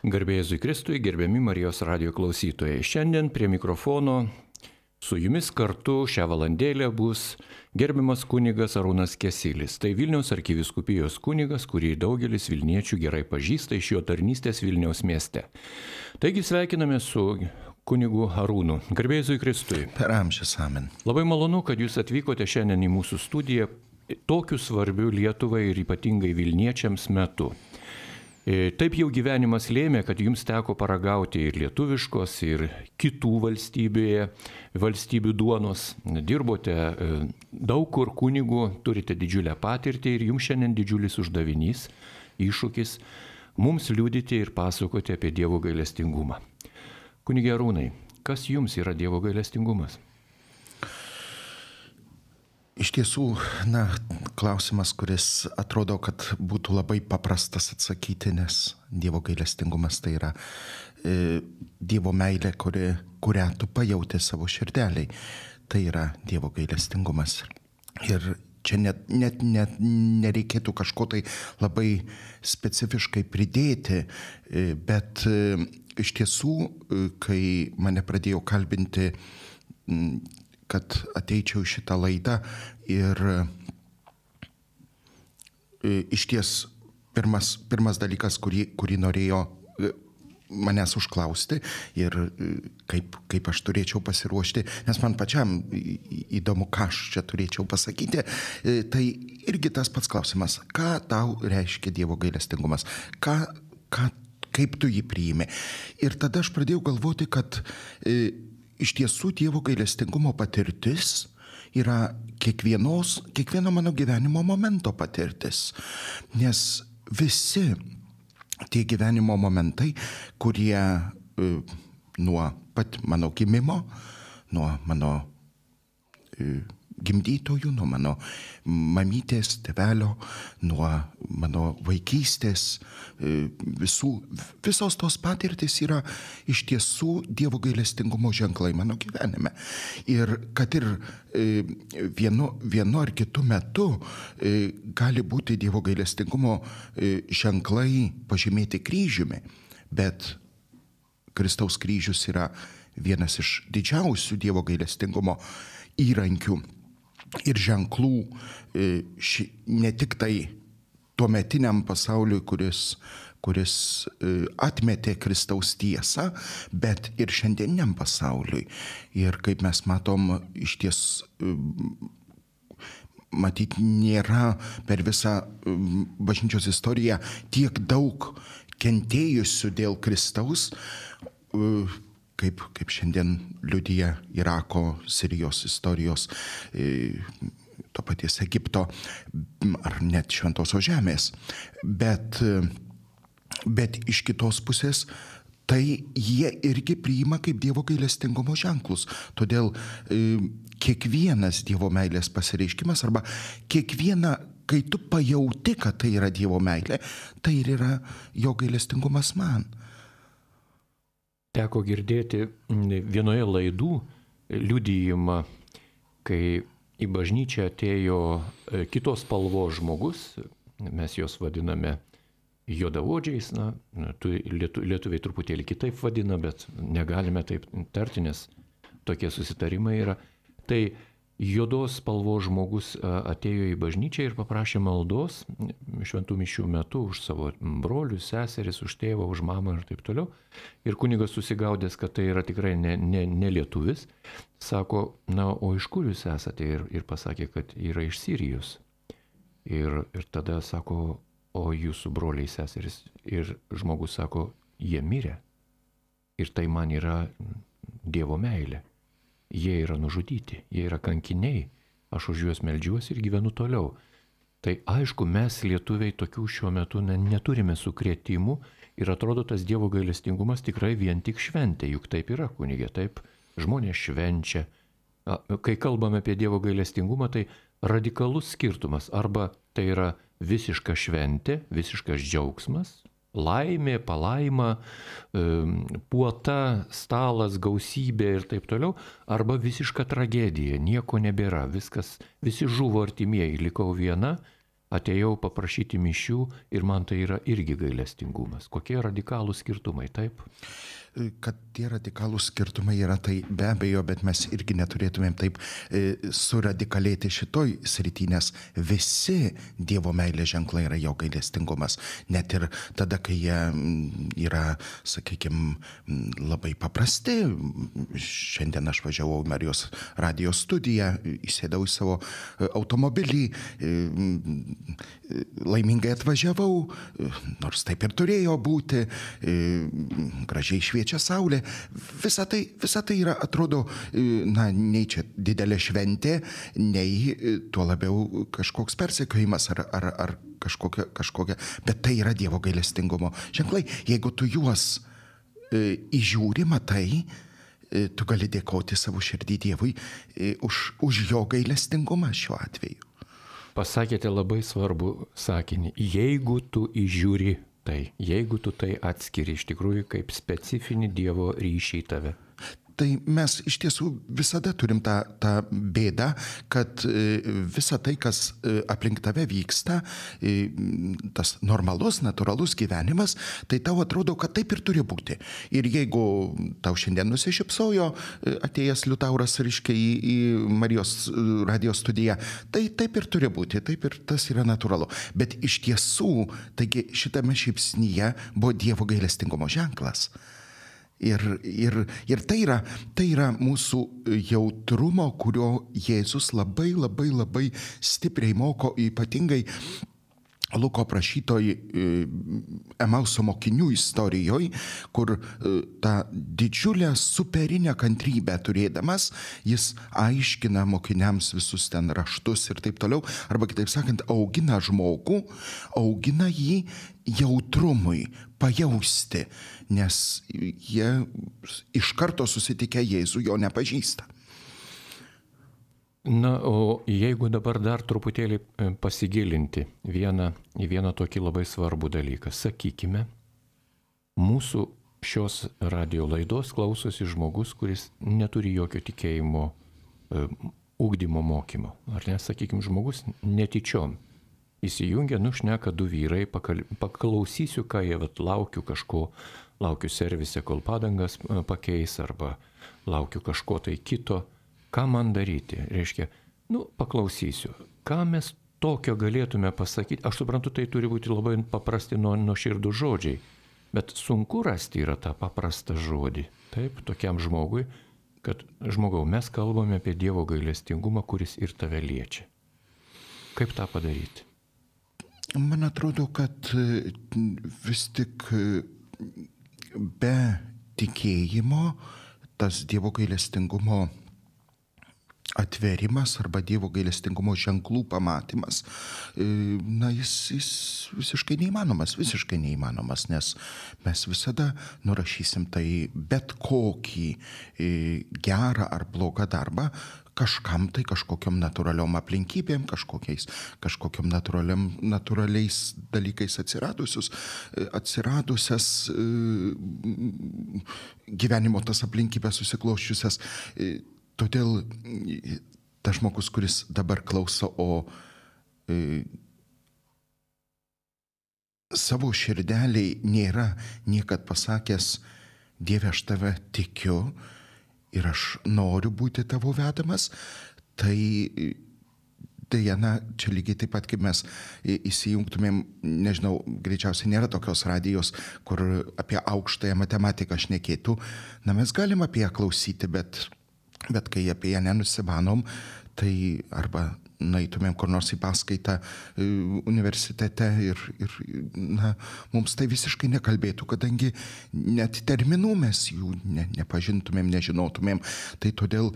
Garbė Jėzui Kristui, gerbiami Marijos radijo klausytojai. Šiandien prie mikrofono su jumis kartu šią valandėlę bus gerbiamas kunigas Arūnas Kesilis. Tai Vilniaus arkivyskupijos kunigas, kurį daugelis vilniečių gerai pažįsta iš jo tarnystės Vilniaus mieste. Taigi sveikiname su kunigu Arūnu. Garbė Jėzui Kristui. Per amžius amen. Labai malonu, kad jūs atvykote šiandien į mūsų studiją tokiu svarbiu Lietuvai ir ypatingai Vilniečiams metu. Taip jau gyvenimas lėmė, kad jums teko paragauti ir lietuviškos, ir kitų valstybių duonos. Dirbote daug kur kunigų, turite didžiulę patirtį ir jums šiandien didžiulis uždavinys, iššūkis mums liudyti ir pasakoti apie Dievo gailestingumą. Kunige Arūnai, kas jums yra Dievo gailestingumas? Iš tiesų, klausimas, kuris atrodo, kad būtų labai paprastas atsakyti, nes Dievo gailestingumas tai yra Dievo meilė, kurią tu pajauti savo širdeliai. Tai yra Dievo gailestingumas. Ir čia net nereikėtų kažko tai labai specifiškai pridėti, bet iš tiesų, kai mane pradėjo kalbinti, kad ateičiau į šitą laidą ir iš ties pirmas dalykas, kurį norėjo manęs užklausti ir kaip aš turėčiau pasiruošti, nes man pačiam įdomu, ką aš čia turėčiau pasakyti, tai irgi tas pats klausimas, ką tau reiškia Dievo gailestingumas, kaip tu jį priimi. Ir tada aš pradėjau galvoti, kad iš tiesų Dievo gailestingumo patirtis yra kiekvieno mano gyvenimo momento patirtis. Nes visi tie gyvenimo momentai, kurie nuo pat mano gimimo, nuo mano gimdytojų, nuo mano mamytės, tėvelio, nuo mano vaikystės, visos tos patirtys yra iš tiesų Dievo gailestingumo ženklai mano gyvenime. Ir kad ir vienu ar kitu metu gali būti Dievo gailestingumo ženklai pažymėti kryžiumi, bet Kristaus kryžius yra vienas iš didžiausių Dievo gailestingumo įrankių ir ženklų ne tik tai tuometiniam pasauliui, kuris atmetė Kristaus tiesą, bet ir šiandieniam pasauliui. Ir kaip mes matom, iš ties matyt nėra per visą bažnyčios istoriją tiek daug kentėjusių dėl Kristaus, kaip šiandien liudija Irako, Sirijos istorijos, to paties Egipto ar net Šventosios žemės. Bet iš kitos pusės tai jie irgi priima kaip Dievo gailestingumo ženklus. Todėl kiekvienas Dievo meilės pasireiškimas arba kai tu pajauti, kad tai yra Dievo meilė, tai ir yra jo gailestingumas man. Teko girdėti vienoje laidų liudijimą, kai į bažnyčią atėjo kitos spalvos žmogus, mes juos vadiname juodaodžiais, lietuviai truputėlį kitaip vadina, bet negalime taip tarti, nes tokie susitarimai yra. Tai juodos spalvos žmogus atėjo į bažnyčią ir paprašė maldos šventų mišių metu už savo brolius, seseris, už tėvą, už mamą ir taip toliau. Ir kunigas susigaudęs, kad tai yra tikrai ne lietuvis, sako, o iš kur jūs esate? Ir pasakė, kad yra iš Sirijos. Ir tada sako, o jūsų broliai, seseris. Ir žmogus sako, jie mirė. Ir tai man yra Dievo meilė. Jie yra nužudyti, jie yra kankiniai, aš už juos meldžiuosi ir gyvenu toliau. Tai aišku, mes lietuviai tokių šiuo metu neturime sukrėtimų ir atrodo tas Dievo gailestingumas tikrai vien tik šventė, juk taip yra, kunigė, taip žmonės švenčia. Kai kalbame apie Dievo gailestingumą, tai radikalus skirtumas, arba tai yra visiška šventė, visiškas džiaugsmas, laimė, palaima, puota, stalas, gausybė ir taip toliau, arba visiška tragedija, nieko nebėra, visi žuvo artimieji, likau viena, atėjau paprašyti mišių ir man tai yra irgi gailestingumas. Kokie radikalūs skirtumai, taip? Kad tie radikalūs skirtumai yra, tai be abejo, bet mes irgi neturėtumėm taip suradikalėti šitoj srity, nes visi Dievo meilės ženklai yra jo gailestingumas. Net ir tada, kai jie yra, sakykime, labai paprasti. Šiandien aš važiavau į Marijos radijo studiją, įsėdau į savo automobilį, laimingai atvažiavau, nors taip ir turėjo būti, gražiai šviečia saulė. Visa tai yra, atrodo, nei čia didelė šventė, nei tuo labiau kažkoks persekiojimas ar kažkokia, bet tai yra Dievo gailestingumo ženklai. Jeigu tu juos įžiūri, matai, tu gali dėkoti savo širdį Dievui už jo gailestingumą šiuo atveju. Pasakėte labai svarbų sakinį. Jeigu tu įžiūri tai, jeigu tu tai atskiri iš tikrųjų kaip specifinį Dievo ryšį į tave. Tai mes iš tiesų visada turim tą bėdą, kad visa tai, kas aplink tave vyksta, tas normalus, natūralus gyvenimas, tai tau atrodo, kad taip ir turi būti. Ir jeigu tau šiandien nusišypsojo atėjęs Liutauras, reiškia, į Marijos radijo studiją, tai taip ir turi būti, taip ir tas yra natūralu. Bet iš tiesų, taigi šitame šypsnyje buvo Dievo gailestingumo ženklas. Ir tai yra mūsų jautrumo, kurio Jėzus labai stipriai moko, ypatingai Luko aprašytoj Emauso mokinių istorijoje, kur tą didžiulę superinę kantrybę turėdamas, jis aiškina mokiniams visus ten raštus ir taip toliau, arba kitaip sakant, augina žmogų, augina jį jautrumui, pajausti, nes jie iš karto susitikę Jėzų jo nepažįsta. Na, o jeigu dabar dar truputėlį pasigilinti į vieną tokį labai svarbų dalyką, sakykime, mūsų šios radio laidos klausosi žmogus, kuris neturi jokio tikėjimo ugdymo mokymo. Ar ne, sakykime, žmogus netyčiom įsijungia, šneka du vyrai, paklausysiu, ką jie, laukiu servise, kol padangas pakeis, arba laukiu kažko tai kito. Ką man daryti? Reiškia, paklausysiu. Ką mes tokio galėtume pasakyti? Aš suprantu, tai turi būti labai paprasti nuoširdų žodžiai, bet sunku rasti yra tą paprastą žodį. Taip, tokiam žmogui, kad žmogau, mes kalbame apie Dievo gailestingumą, kuris ir tave liečia. Kaip tą padaryti? Man atrodo, kad vis tik be tikėjimo tas Dievo gailestingumo atverimas arba Dievo gailestingumo ženklų pamatymas, jis visiškai neįmanomas, nes mes visada nurašysim tai bet kokį gerą ar blogą darbą kažkam tai kažkokiam natūraliom aplinkybėm, kažkokiam natūraliais dalykais atsiradusias gyvenimo tas aplinkybės susikloščiusias. Todėl tas žmogus, kuris dabar klauso, o savo širdeliai nėra niekad pasakęs, Dieve, aš tave tikiu ir aš noriu būti tavo vedamas, tai deja, čia lygiai taip pat, kaip mes įsijungtumėm, nežinau, greičiausiai nėra tokios radijos, kur apie aukštąją matematiką šnekėtų. Mes galim apie ją klausyti, bet kai apie ją nenusimanom, tai arba nueitumėm kur nors į paskaitą universitete ir mums tai visiškai nekalbėtų, kadangi net terminų mes jų nepažintumėm, nežinotumėm. Tai todėl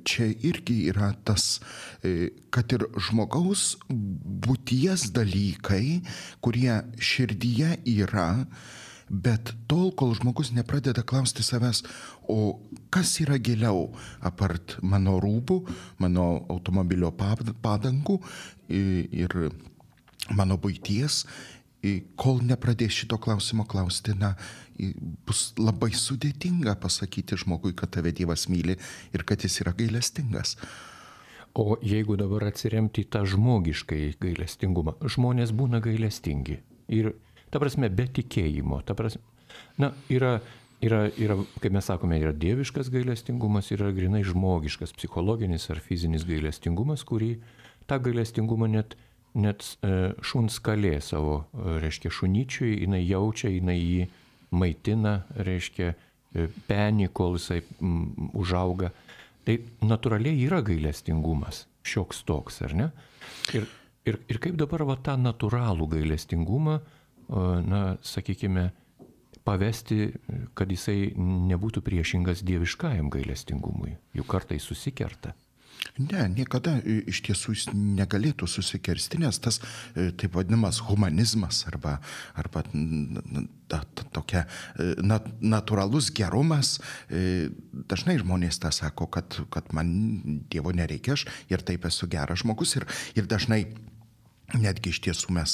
čia irgi yra tas, kad ir žmogaus būties dalykai, kurie širdyje yra, bet tol, kol žmogus nepradeda klausti savęs, o kas yra giliau apart mano rūbų, mano automobilio padangų ir mano buities, kol nepradės šito klausimo klausti, bus labai sudėtinga pasakyti žmogui, kad tave Dievas myli ir kad jis yra gailestingas. O jeigu dabar atsiremti į tą žmogiškai gailestingumą, žmonės būna gailestingi. Ir, ta prasme, be tikėjimo. Ta prasme, yra, kaip mes sakome, yra dieviškas gailestingumas, yra grinai žmogiškas, psichologinis ar fizinis gailestingumas, kurį tą gailestingumą net šuns kalė savo, reiškia, šunyčiui, jinai jaučia, jinai jį maitina, reiškia, penį, kol jisai užauga. Tai natūraliai yra gailestingumas, šioks toks, ar ne? Ir kaip dabar tą natūralų gailestingumą, sakykime, pavesti, kad jisai nebūtų priešingas dieviškajam gailestingumui, juk kartais susikerta. Ne, niekada iš tiesų jis negalėtų susikirsti, nes tas taip vadinamas humanizmas arba tokia natūralus gerumas, dažnai žmonės tą sako, kad man Dievo nereikia, aš ir taip esu geras žmogus ir dažnai netgi iš tiesų mes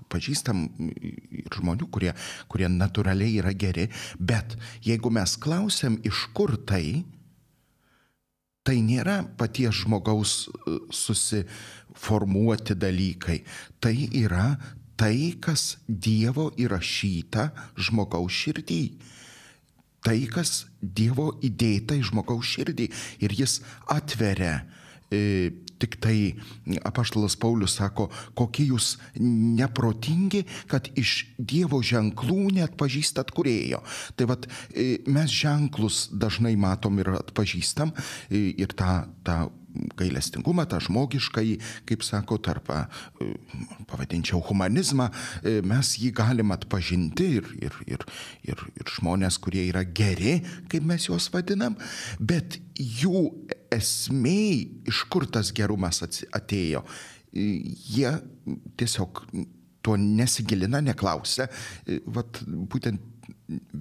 pažįstam ir žmonių, kurie natūraliai yra geri, bet jeigu mes klausiam, iš kur tai nėra paties žmogaus susiformuoti dalykai. Tai yra tai, kas Dievo įrašyta žmogaus širdį. Tai, kas Dievo įdėta į žmogaus širdį. Ir jis atveria. Tik tai apaštalas Paulius sako, kokie jūs neprotingi, kad iš Dievo ženklų neatpažįstat kūrėjo. Tai vat mes ženklus dažnai matom ir atpažįstam ir tą gailestingumą, tą žmogiškąjį, kaip sako, pavadinčiau humanizmą, mes jį galim atpažinti ir žmonės, kurie yra geri, kaip mes juos vadinam, bet jų esmė, iš kur tas gerumas atėjo, jie tiesiog to nesigilina, neklausia. Vat būtent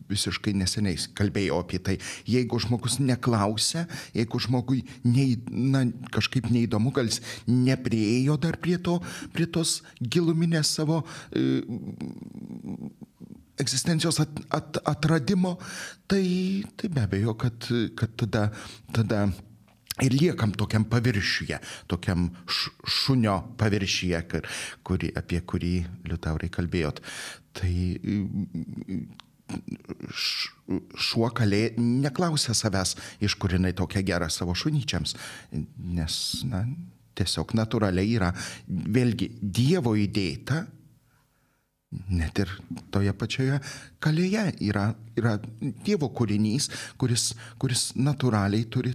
visiškai neseniai kalbėjau apie tai. Jeigu žmogus neklausia, jeigu žmogui kažkaip neįdomu, gal jis nepriėjo dar prie tos giluminės savo egzistencijos atradimo, tai be abejo, kad tada ir liekam tokiam paviršiuje, tokiam šunio paviršiuje, apie kurį, Liutaurai, kalbėjot. Tai šuo kalė neklausia savęs, iš kur jinai tokia gera savo šunyčiams, nes tiesiog natūraliai yra vėlgi Dievo įdėta, net ir toje pačioje kalėje yra Dievo kūrinys, kuris natūraliai turi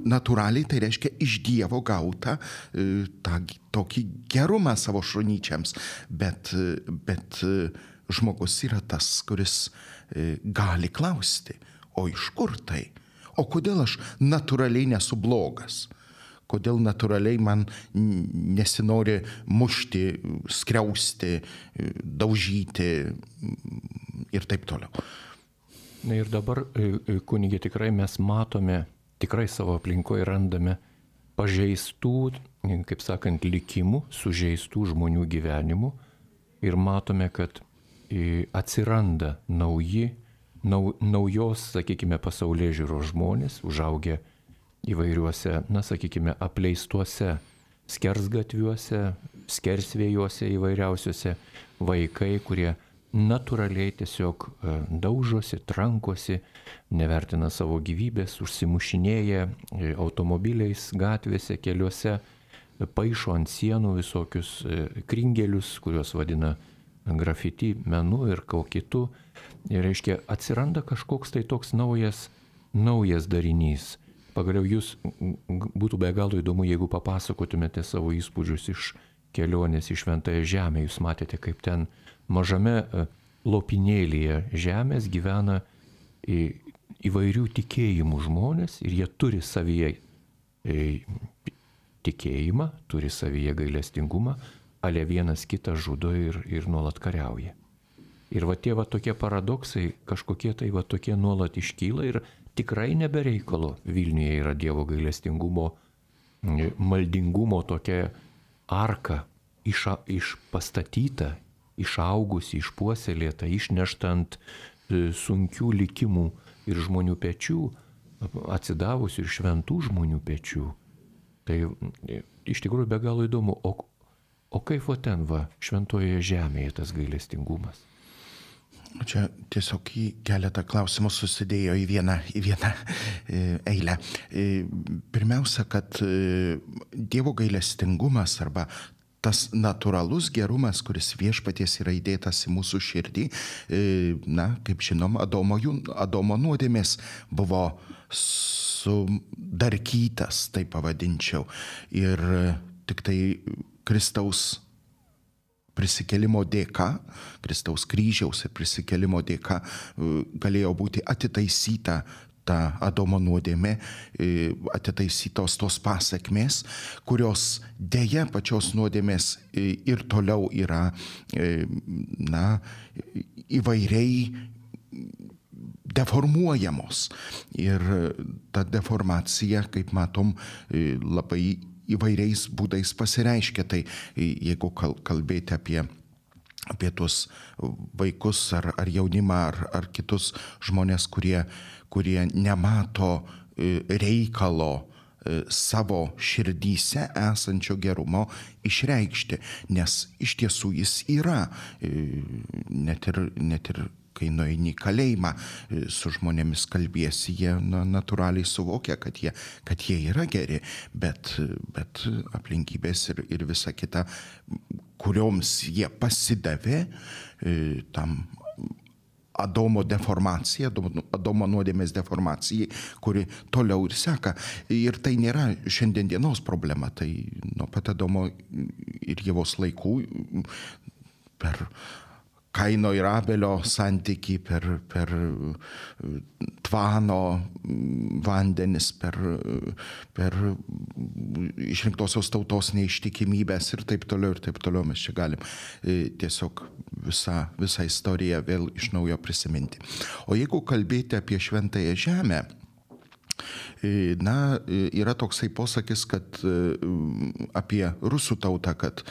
natūraliai, tai reiškia iš Dievo gautą tokį gerumą savo šunyčiams, bet žmogus yra tas, kuris gali klausti, o iš kur tai? O kodėl aš natūraliai nesu blogas? Kodėl natūraliai man nesinori mušti, skriausti, daužyti ir taip toliau? Na ir dabar, kunigė, tikrai mes matome, tikrai savo aplinkoje randame pažeistų, kaip sakant, likimų, sužeistų žmonių gyvenimų ir matome, kad atsiranda naujos, sakykime, pasaulėžiūros žmonės, užaugę įvairiuose, sakykime, apleistuose skersgatviuose, skersvėjuose įvairiausiuose vaikai, kurie natūraliai tiesiog daužosi, trankosi, nevertina savo gyvybės, užsimušinėja automobiliais gatvėse, keliuose, paišo ant sienų visokius kringelius, kuriuos vadina grafiti menu ir ko kitų. Ir reiškia, atsiranda kažkoks tai toks naujas darinys. Pagaliau jūs būtų be galo įdomu, jeigu papasakotumėte savo įspūdžius iš kelionės į Šventąją Žemę. Jūs matėte, kaip ten mažame lopinėlyje žemės gyvena įvairių tikėjimų žmonės ir jie turi savyje tikėjimą, turi savyje gailestingumą, ale vienas kitą žudo ir nuolat kariauja. Ir tie tokie paradoksai, kažkokie tai tokie nuolat iškyla ir tikrai nebereikalo. Vilniuje yra Dievo gailestingumo, maldingumo tokia arka pastatyta, išaugusi, išpuoselėta, išnešta ant sunkių likimų ir žmonių pečių, atsidavusių ir šventų žmonių pečių. Tai iš tikrųjų be galo įdomu, o kaip ten šventojoje žemėje tas gailestingumas? Čia tiesiog į keletą klausimų susidėjo į vieną eilę. Pirmiausia, kad Dievo gailestingumas arba tas natūralus gerumas, kuris viešpaties yra įdėtas į mūsų širdį, kaip žinom, Adomo nuodėmės buvo sudarkytas, taip pavadinčiau. Ir tik tai Kristaus prisikėlimo dėka, Kristaus kryžiaus ir prisikėlimo dėka galėjo būti atitaisyta ta Adomo nuodėmė, atitaisytos tos pasekmės, kurios dėja pačios nuodėmės ir toliau yra įvairiai deformuojamos. Ir ta deformacija, kaip matom, labai įvairiais būdais pasireiškia. Tai jeigu kalbėti apie tuos vaikus ar jaunimą ar kitus žmonės, kurie nemato reikalo savo širdyse esančio gerumo išreikšti, nes iš tiesų jis yra, net ir kai nueini į kalėjimą su žmonėmis kalbėsi, jie natūraliai suvokia, kad jie yra geri, bet aplinkybės ir visa kita, kurioms jie pasidavė tam Adomo deformacija, Adomo nuodėmės deformacijai, kuri toliau ir seka. Ir tai nėra šiandien dienos problema, tai nuo pat Adomo ir Ievos laikų per Kaino ir Abelio santykį, per Tvano vandenis, per išrinktosios tautos neištikimybės ir taip toliau mes čia galim tiesiog visą istoriją vėl iš naujo prisiminti. O jeigu kalbėti apie šventąją žemę, yra toksai posakis, kad apie rusų tautą, kad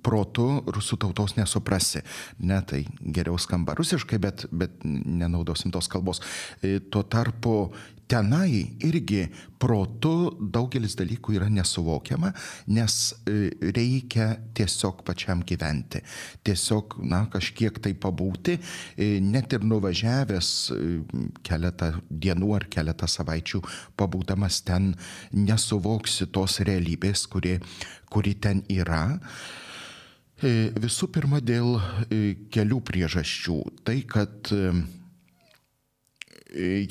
protu rusų tautos nesuprasi. Tai geriau skamba rusiškai, bet nenaudosim tos kalbos. Tuo tarpu tenai irgi protu daugelis dalykų yra nesuvokiama, nes reikia tiesiog pačiam gyventi. Tiesiog, kažkiek tai pabūti, net ir nuvažiavęs keletą dienų ar keletą savaičių pabūdamas ten, nesuvoksi tos realybės, kuri ten yra. Visų pirma, dėl kelių priežasčių. Tai, kad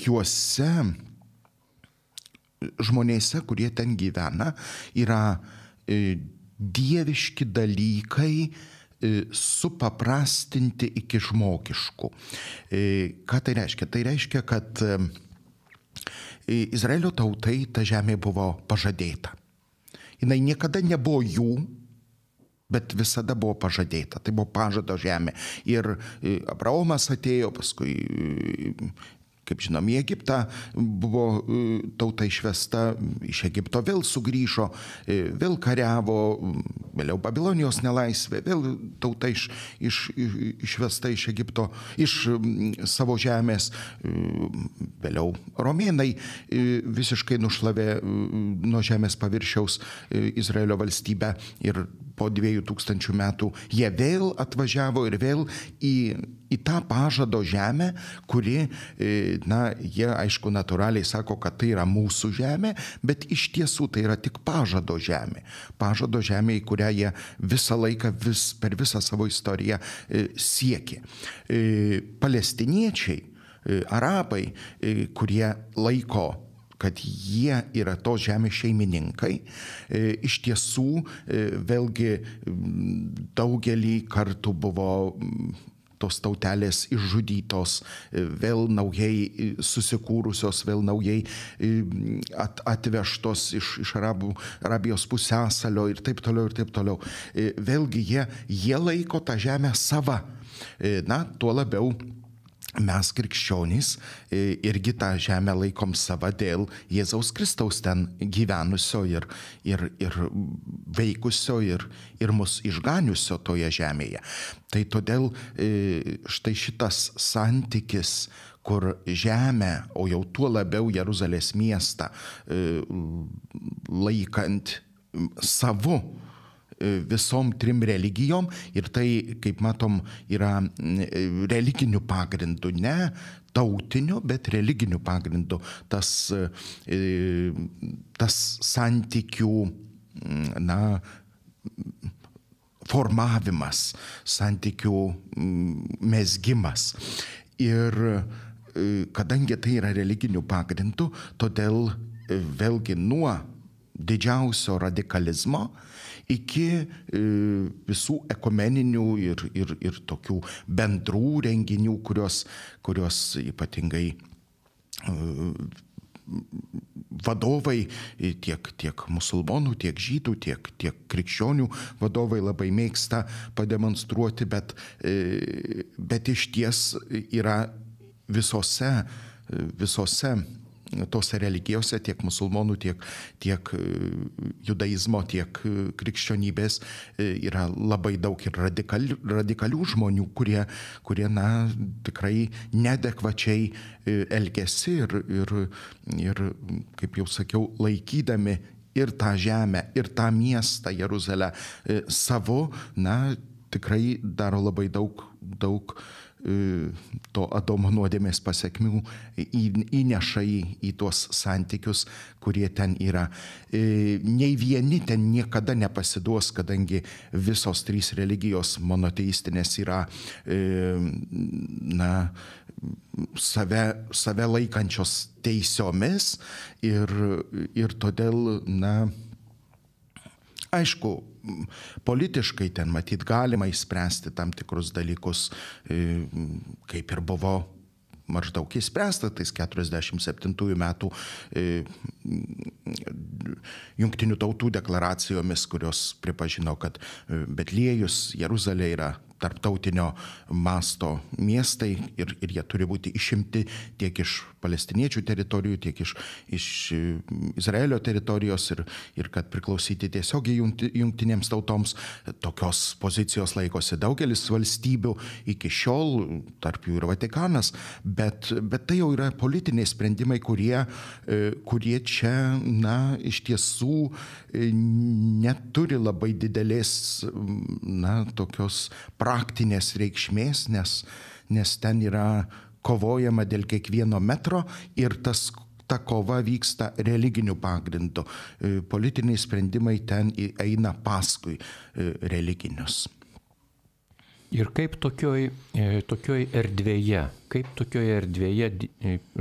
juose žmonėse, kurie ten gyvena, yra dieviški dalykai supaprastinti iki žmogiškų. Ką tai reiškia? Tai reiškia, kad Izraelio tautai ta žemė buvo pažadėta. Jinai niekada nebuvo jų, bet visada buvo pažadėta. Tai buvo pažado žemė. Ir Abraomas atėjo, paskui, kaip žinom, į Egiptą buvo tauta išvesta, iš Egipto vėl sugrįžo, vėl kariavo, vėliau Babilonijos nelaisvė, vėl tauta išvesta iš Egipto, iš savo žemės, vėliau romėnai visiškai nušlavė nuo žemės paviršiaus Izraelio valstybę ir po 2000 metų jie vėl atvažiavo ir vėl į tą pažado žemę, kuri, jie aišku natūraliai sako, kad tai yra mūsų žemė, bet iš tiesų tai yra tik pažado žemė. Pažado žemė, į kurią jie visą laiką, per visą savo istoriją siekė. Palestiniečiai, arabai, kurie laiko, kad jie yra tos žemės šeimininkai, iš tiesų vėlgi daugelį kartų buvo tos tautelės išžudytos, vėl naujai susikūrusios, vėl naujai atvežtos iš Arabijos pusiasalio ir taip toliau. Vėlgi jie laiko tą žemę sava. Tuo labiau mes krikščionys irgi tą žemę laikom sava dėl Jėzaus Kristaus ten gyvenusio ir veikusio ir mus išganiusio toje žemėje. Tai todėl štai šitas santykis, kur žemę, o jau tuo labiau Jeruzalės miestą laikant savu visom trim religijom, ir tai, kaip matom, yra religiniu pagrindu, ne tautiniu, bet religiniu pagrindu. Tas santykių, formavimas, santykių mezgimas. Ir kadangi tai yra religiniu pagrindu, todėl vėlgi nuo didžiausio radikalizmo iki visų ekumeninių ir tokių bendrų renginių, kurios ypatingai vadovai, tiek musulmonų, tiek žydų, tiek krikščionių vadovai labai mėgsta pademonstruoti, bet iš ties yra visose tose religijose, tiek musulmonų, tiek judaizmo, tiek krikščionybės yra labai daug ir radikalių žmonių, kurie tikrai neadekvačiai elgiasi ir, kaip jau sakiau, laikydami ir tą žemę, ir tą miestą Jeruzalę savo, tikrai daro labai daug to Adomo nuodėmės pasekmių, įneša į tuos santykius, kurie ten yra. Nei vieni ten niekada nepasiduos, kadangi visos trys religijos monoteistinės yra save laikančios teisiomis ir todėl, aišku, politiškai ten matyt galima išspręsti tam tikrus dalykus, kaip ir buvo maždaug išspręsta tais 47 metų Jungtinių tautų deklaracijomis, kurios pripažino, kad Betliejus, Jeruzalė yra tarptautinio masto miestai ir jie turi būti išimti tiek iš palestiniečių teritorijų, tiek iš Izraelio teritorijos ir kad priklausyti tiesiogiai jungtinėms tautoms. Tokios pozicijos laikosi daugelis valstybių iki šiol, tarp jų ir Vatikanas, bet tai jau yra politiniai sprendimai, kurie čia, iš tiesų neturi labai didelės, tokios praktinės reikšmės, nes ten yra kovojama dėl kiekvieno metro ir ta kova vyksta religiniu pagrindu. Politiniai sprendimai ten eina paskui religinius. Ir kaip tokioj erdvėje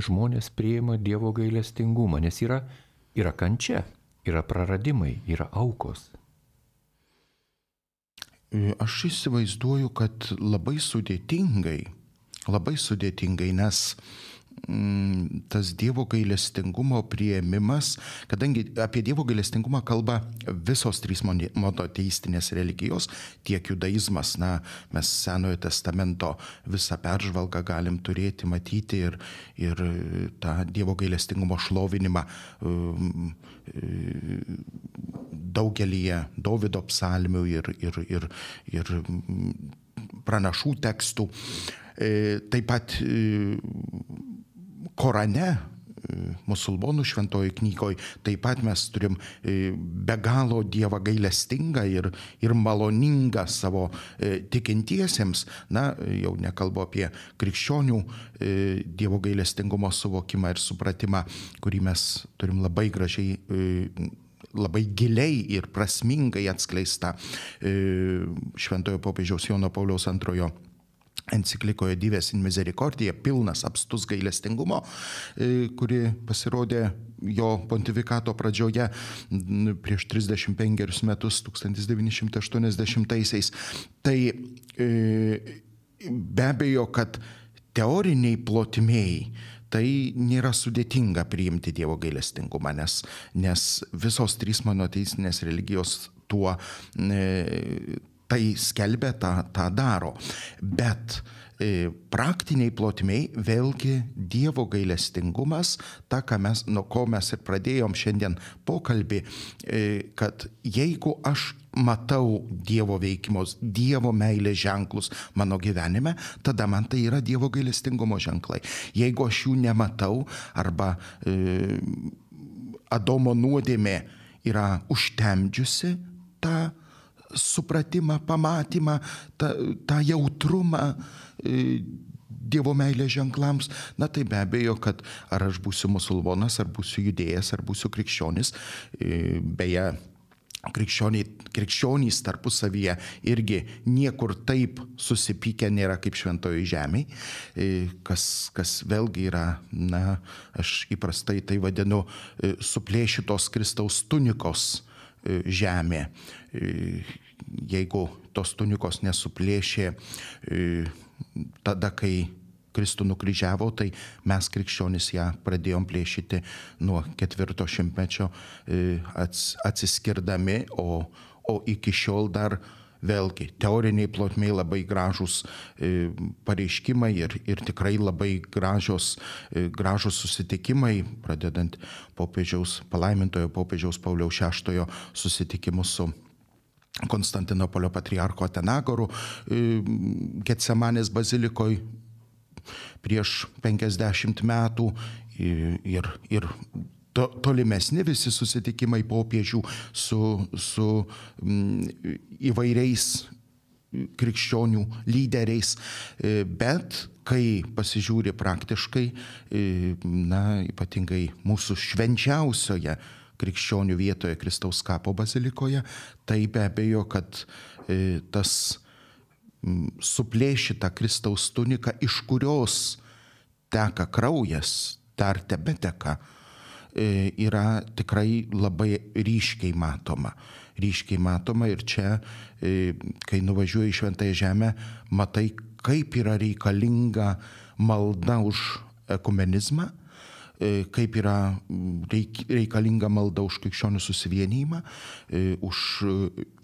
žmonės priima Dievo gailestingumą, nes yra kančia, yra praradimai, yra aukos. Aš įsivaizduoju, kad labai sudėtingai, nes tas Dievo gailestingumo priėmimas, kadangi apie Dievo gailestingumą kalba visos trys monoteistinės religijos, tiek judaizmas, mes Senojo testamento visą peržvalgą galim turėti, matyti ir tą Dievo gailestingumo šlovinimą daugelyje Dovydo psalmių ir pranašų tekstų. Taip pat Korane, musulmonų šventojoj knygoj, taip pat mes turim be galo Dievą gailestingą ir maloningą savo tikintiesiems. Jau nekalbu apie krikščionių Dievo gailestingumo suvokimą ir supratimą, kurį mes turim labai gražiai, labai giliai ir prasmingai atskleista šventojo popiežiaus Jono Pauliaus II enciklikoje Dives in Misericordia, pilnas apstus gailestingumo, kuri pasirodė jo pontifikato pradžioje prieš 35 metus, 1980-aisiais. Tai be abejo, kad teoriniai plotmėj tai nėra sudėtinga priimti Dievo gailestingumą, nes visos trys monoteistinės religijos tuo tai skelbia, tą daro. Bet praktiniai plotmiai vėlgi Dievo gailestingumas, ta, nuo ko mes ir pradėjom šiandien pokalbį, kad jeigu aš matau Dievo veikimus, Dievo meilės ženklus mano gyvenime, tada man tai yra Dievo gailestingumo ženklai. Jeigu aš jų nematau arba Adomo nuodėmė yra užtemdžiusi tą supratimą, pamatymą, tą jautrumą Dievo meilės ženklams, na tai be abejo, kad ar aš būsiu musulmonas, ar būsiu judėjas, ar būsiu krikščionis, beje, krikščionys tarpusavyje irgi niekur taip susipykę nėra kaip šventojoj žemėj, kas vėlgi yra, na, aš įprastai tai vadinu suplėšytos Kristaus tunikos žemė. Jeigu tos tunikos nesuplėšė tada, kai Kristų nukryžiavo, tai mes krikščionys ją pradėjom plėšyti nuo 4 šimtmečio atsiskirdami, o iki šiol dar vėlgi teoriniai plotmiai labai gražūs pareiškimai ir tikrai labai gražūs susitikimai, pradedant palaimintojo popiežiaus Pauliaus VI susitikimu su Konstantinopolio patriarcho Atenagoru Getsemanės bazilikoje prieš 50 metų ir tolimesni visi susitikimai popiežių su įvairiais krikščionių lyderiais, bet kai pasižiūri praktiškai, na, ypatingai mūsų švenčiausioje krikščionių vietoje Kristaus kapo bazilikoje, tai be abejo, kad tas suplėšyta Kristaus tunika, iš kurios teka kraujas, dar tebeteka, yra tikrai labai ryškiai matoma. Ir čia, kai nuvažiuoji į Šventąją Žemę, matai, kaip yra reikalinga malda už ekumenizmą, kaip yra reikalinga malda už krikščionių susivienijimą, už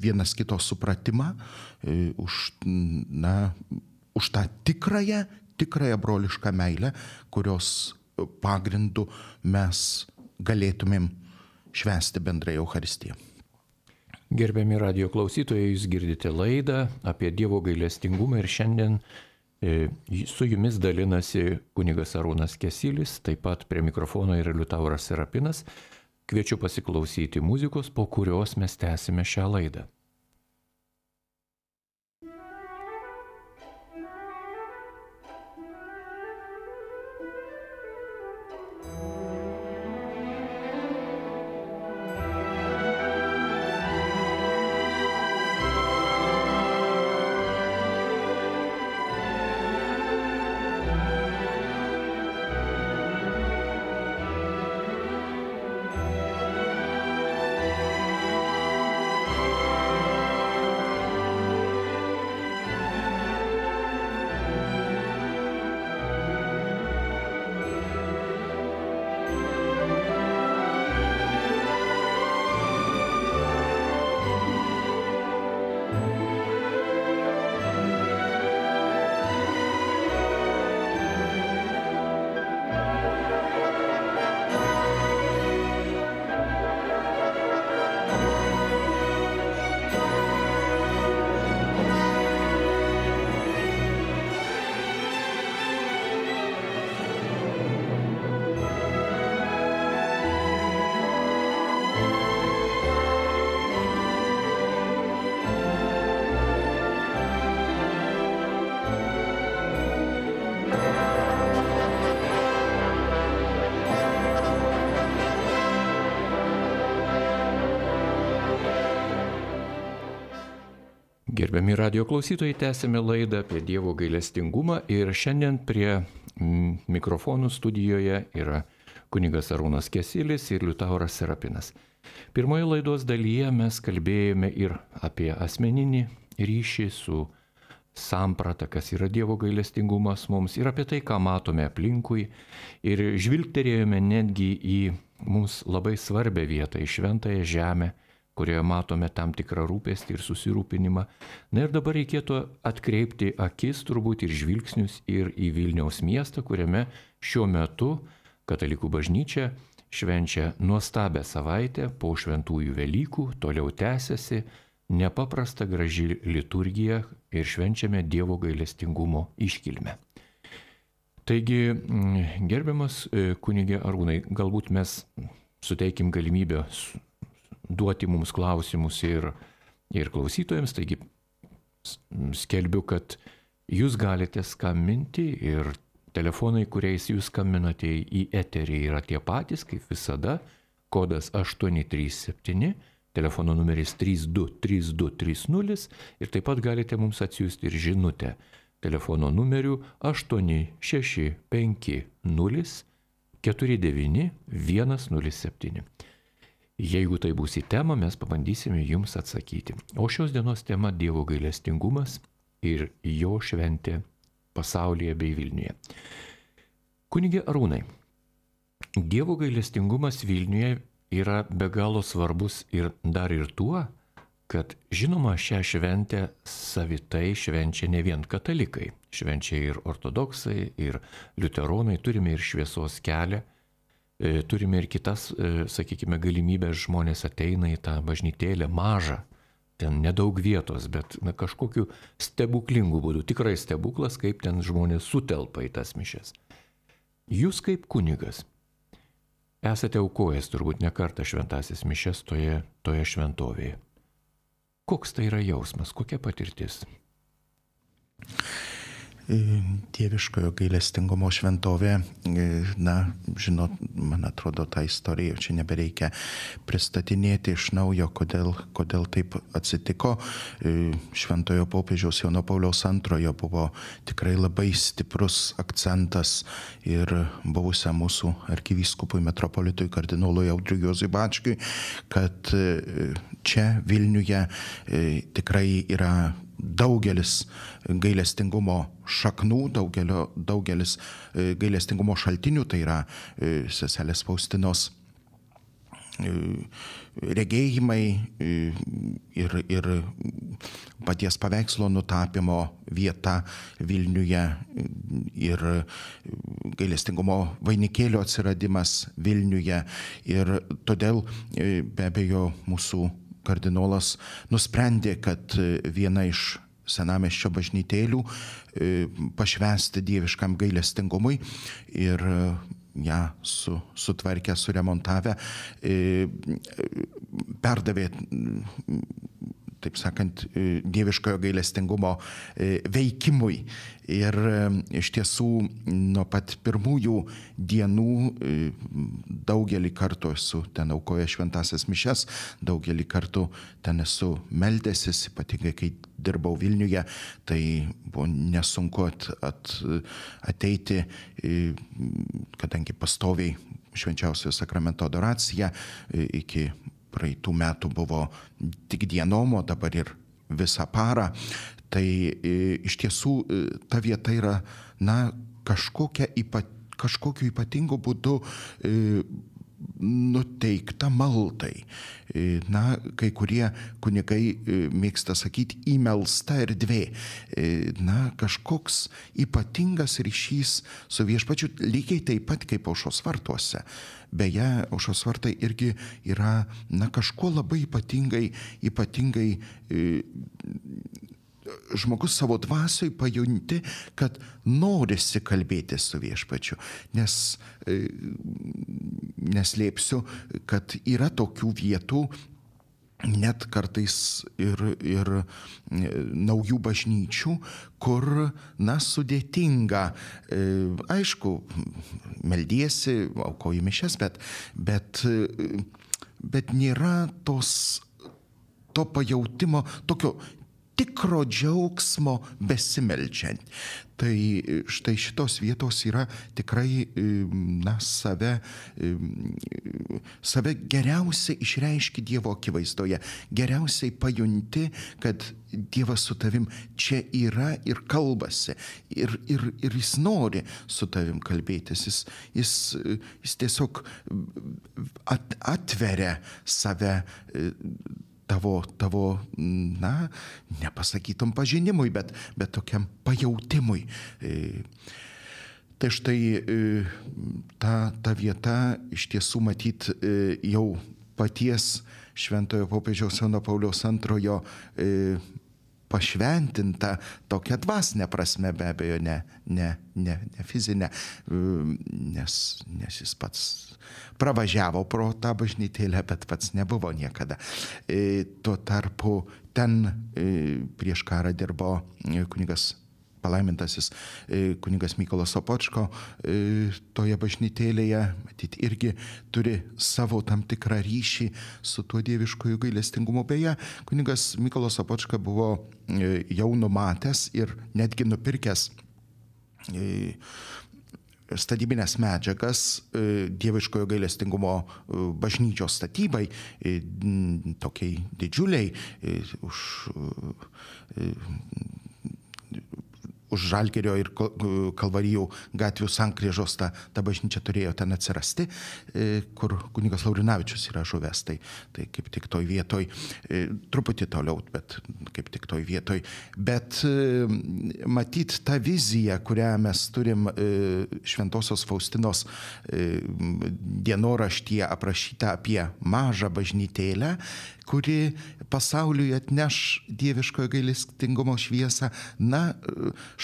vienas kito supratimą, už tą tikrąją brolišką meilę, kurios pagrindu mes galėtumėm švęsti bendrai Eucharistiją. Gerbiami radijo klausytojai, jūs girdite laidą apie Dievo gailestingumą ir šiandien su jumis dalinasi kunigas Arūnas Kesilis, taip pat prie mikrofono yra Liutauras Serapinas. Kviečiu pasiklausyti muzikos, po kurios mes tęsime šią laidą. Gerbiami radijo klausytojai, tęsime laidą apie Dievo gailestingumą ir šiandien prie mikrofonų studijoje yra kunigas Arūnas Kesilis ir Liutauras Serapinas. Pirmoje laidos dalyje mes kalbėjome ir apie asmeninį ryšį su samprata, kas yra Dievo gailestingumas mums, ir apie tai, ką matome aplinkui, ir žvilgterėjome netgi į mums labai svarbią vietą, į Šventąją Žemę, kurioje matome tam tikrą rūpestį ir susirūpinimą. Na ir dabar reikėtų atkreipti akis turbūt ir žvilgsnius ir į Vilniaus miestą, kuriame šiuo metu Katalikų bažnyčia švenčia nuostabią savaitę po šventųjų Velykų, toliau tęsiasi nepaprasta graži liturgija ir švenčiame Dievo gailestingumo iškilmę. Taigi, gerbiamas kunige Arūnai, galbūt mes suteikim galimybę duoti mums klausimus ir klausytojams, taigi skelbiu, kad jūs galite skambinti ir telefonai, kuriais jūs skambinate į eterį, yra tie patys, kaip visada, kodas 837, telefono numeris 323230 ir taip pat galite mums atsiųsti ir žinutę telefono numeriu 865049107. Jeigu tai bus į temą, mes pabandysime jums atsakyti. O šios dienos tema – Dievo gailestingumas ir jo šventė pasaulyje bei Vilniuje. Kunige Arūnai, Dievo gailestingumas Vilniuje yra be galo svarbus ir dar ir tuo, kad žinoma šią šventę savitai švenčia ne vien katalikai, švenčia ir ortodoksai, ir liuteronai, turime ir šviesos kelią, turime ir kitas, sakykime, galimybės, žmonės ateina į tą bažnytėlę mažą, ten nedaug vietos, bet kažkokiu stebuklingu būdu, tikrai stebuklas, kaip ten žmonės sutelpa į tas mišias. Jūs kaip kunigas esate aukojęs turbūt ne kartą šventasis mišias toje šventovėje. Koks tai yra jausmas, kokia patirtis? Dieviškojo gailestingumo šventovė, žinot, man atrodo, tą istoriją čia nebereikia pristatinėti iš naujo, kodėl taip atsitiko. Šventojo popiežiaus Jono Pauliaus II buvo tikrai labai stiprus akcentas ir buvusiam mūsų arkivyskupui metropolitui kardinolui Audriui Juozui Bačkiui, kad čia Vilniuje tikrai yra daugelis gailestingumo šaknų, daugelis gailestingumo šaltinių, tai yra seselės Faustinos regėjimai ir paties paveikslo nutapymo vieta Vilniuje ir gailestingumo vainikėlio atsiradimas Vilniuje. Ir todėl be abejo mūsų kardinolas nusprendė, kad viena iš senamiesčio bažnytėlių pašvęsti dieviškam gailestingumui ir ją sutvarkę, suremontavę, perdavė, taip sakant, dieviškojo gailestingumo veikimui. Ir iš tiesų nuo pat pirmųjų dienų daugelį kartų esu ten aukojęs šventąsias mišias, daugelį kartų ten esu meldęsis, ypatingai kai dirbau Vilniuje, tai buvo nesunku ateiti, kadangi pastoviai švenčiausiojo sakramento adoracija iki praeitų metų buvo tik dienom, o dabar ir visą parą. Tai iš tiesų ta vieta yra, kažkokiu ypatingu būdu nuteikta maldai. Kai kurie kunigai mėgsta sakyti įmelsta erdvė. Kažkoks ypatingas ryšys su viešpačiu, lygiai taip pat kaip Aušros vartuose. Beje, Aušros vartai irgi yra kažkuo labai ypatingai žmogus savo dvasioj pajunti, kad norisi kalbėti su viešpačiu, nes neslėpsiu, kad yra tokių vietų, net kartais ir naujų bažnyčių, kur, sudėtinga, aišku, meldiesi, aukoji mišias, bet nėra to pajautimo, tokio tikro džiaugsmo besimeldžiant. Tai štai šitos vietos yra tikrai, save geriausiai išreiški Dievo akivaizdoje, geriausiai pajunti, kad Dievas su tavim čia yra ir kalbasi, ir jis nori su tavim kalbėtis, jis tiesiog atveria save tavo, nepasakytum pažinimui, bet tokiam pajautimui. Tai štai ta vieta iš tiesų matyt jau paties šventojo popiežiaus Jono Pauliaus II pašventinta tokia dvasinė prasme, be abejo, ne fizinė, nes jis pats pravažiavo pro tą bažnytėlę, bet pats nebuvo niekada. Tuo tarpu ten prieš karą dirbo kunigas palaimintasis kunigas Mykolas Sopočko toje bažnytėlėje, matyt, irgi turi savo tam tikrą ryšį su tuo dieviškoju gailestingumu. Beje, kunigas Mykolas Sopočka buvo jau numatęs ir netgi nupirkęs statybinės medžiagas dieviškojo gailestingumo bažnyčios statybai, tokiai didžiuliai, už Žalgirio ir Kalvarijų gatvių sankryžos ta bažnyčia turėjo ten atsirasti, kur kunigas Laurinavičius yra žuvęs. Tai kaip tik toj vietoj, truputį toliau, bet kaip tik toj vietoj. Bet matyt, ta vizija, kurią mes turim Šventosios Faustinos dienoraštyje aprašyta apie mažą bažnytėlę, kuri pasauliui atneš dieviškojo gailestingumo šviesą,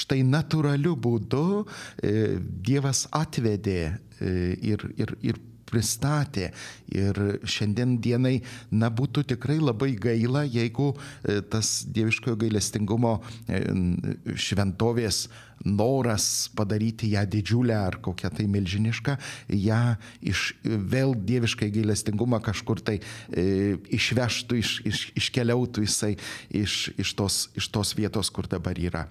štai natūraliu būdu Dievas atvedė ir pristatė. Ir šiandien dienai, būtų tikrai labai gaila, jeigu tas dieviškojo gailestingumo šventovės noras padaryti ją didžiulę ar kokią tai milžinišką, ją vėl dieviškai gailestingumą kažkur tai išvežtų, iškeliautų jisai iš tos vietos, kur dabar yra.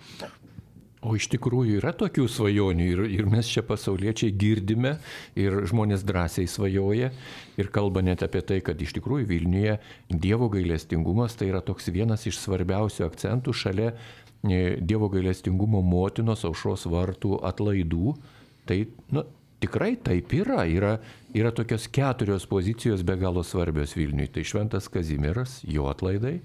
O iš tikrųjų yra tokių svajonių ir mes čia pasauliečiai girdime ir žmonės drąsiai svajoja ir kalba net apie tai, kad iš tikrųjų Vilniuje Dievo gailestingumas tai yra toks vienas iš svarbiausių akcentų šalia Dievo gailestingumo motinos Aušros vartų atlaidų. Tai tikrai taip yra. Yra tokios 4 pozicijos be galo svarbios Vilniui. Tai Šventas Kazimieras, jo atlaidai,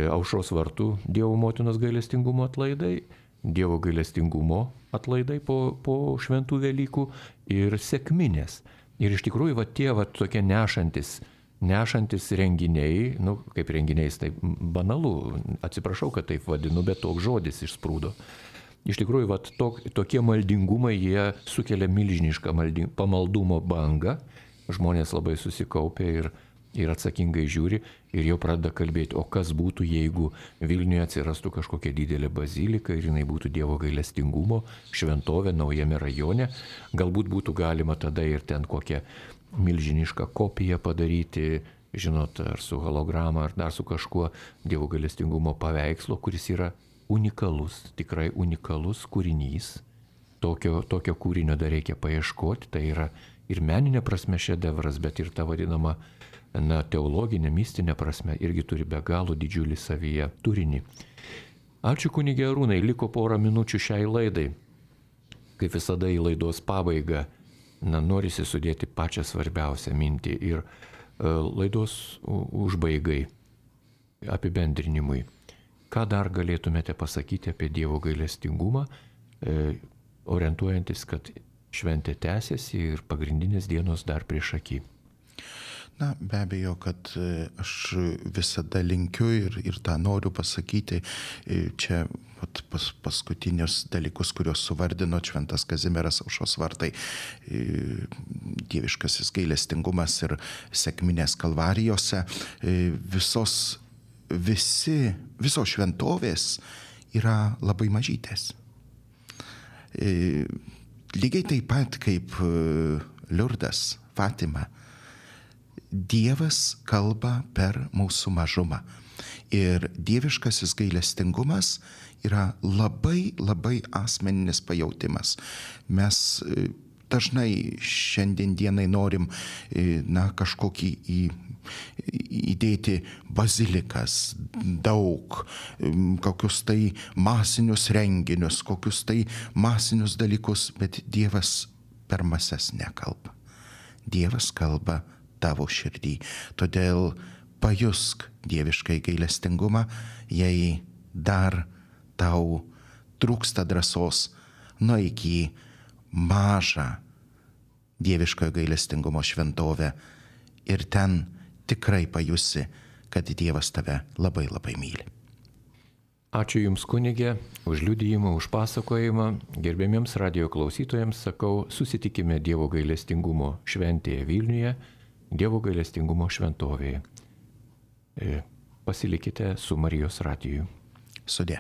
Aušros vartų Dievo motinos gailestingumo atlaidai, Dievo gailestingumo atlaidai po šventų Velykų ir sekminės. Ir iš tikrųjų tie tokie nešantis renginiai, kaip renginiais, tai banalu, atsiprašau, kad taip vadinu, bet toks žodis išsprūdo. Iš tikrųjų, tokie maldingumai, jie sukelia milžinišką pamaldumo bangą, žmonės labai susikaupia ir atsakingai žiūri ir jau pradeda kalbėti, o kas būtų, jeigu Vilniuje atsirastų kažkokia didelė bazilika ir jinai būtų Dievo gailestingumo šventovė naujame rajone. Galbūt būtų galima tada ir ten kokią milžinišką kopiją padaryti, ar su holograma, ar dar su kažkuo Dievo gailestingumo paveikslo, kuris yra unikalus, tikrai unikalus kūrinys. Tokio kūrinio dar reikia paieškoti, tai yra ir meninė prasme šedevras, bet ir ta vadinama teologinė, mistinė prasme irgi turi be galo didžiulį savyje turinį. Ačiū kunige Arūnai, liko porą minučių šiai laidai. Kaip visada į laidos pabaigą, norisi sudėti pačią svarbiausią mintį ir laidos užbaigai, apibendrinimui. Ką dar galėtumėte pasakyti apie Dievo gailestingumą, orientuojantis, kad šventė tęsiasi ir pagrindinės dienos dar prieš akį? Be abejo, kad aš visada linkiu ir tą noriu pasakyti. Čia paskutinius dalykus, kuriuos suvardino Šventas Kazimieras, Aušros vartai, dieviškasis gailestingumas ir sekminės Kalvarijose, visos šventovės yra labai mažytės. Lygiai taip pat kaip Liurdas, Fatima, Dievas kalba per mūsų mažumą. Ir dieviškasis gailestingumas yra labai, labai asmeninis pajautimas. Mes dažnai šiandien dienai norim kažkokį įdėti bazilikas, daug, kokius tai masinius renginius, kokius tai masinius dalykus, bet Dievas per mases nekalba. Dievas kalba tavo širdį. Todėl pajusk dieviškai gailestingumą, jei dar tau trūksta drąsos, nueik į mažą dieviškojo gailestingumo šventovę ir ten tikrai pajusi, kad Dievas tave labai labai myli. Ačiū Jums, kunigė, už liudijimą, už pasakojimą. Gerbėmiems radijo klausytojams sakau, susitikime Dievo gailestingumo šventėje Vilniuje, Dievo gailestingumo šventovėje. Pasilikite su Marijos radiju. Sudie.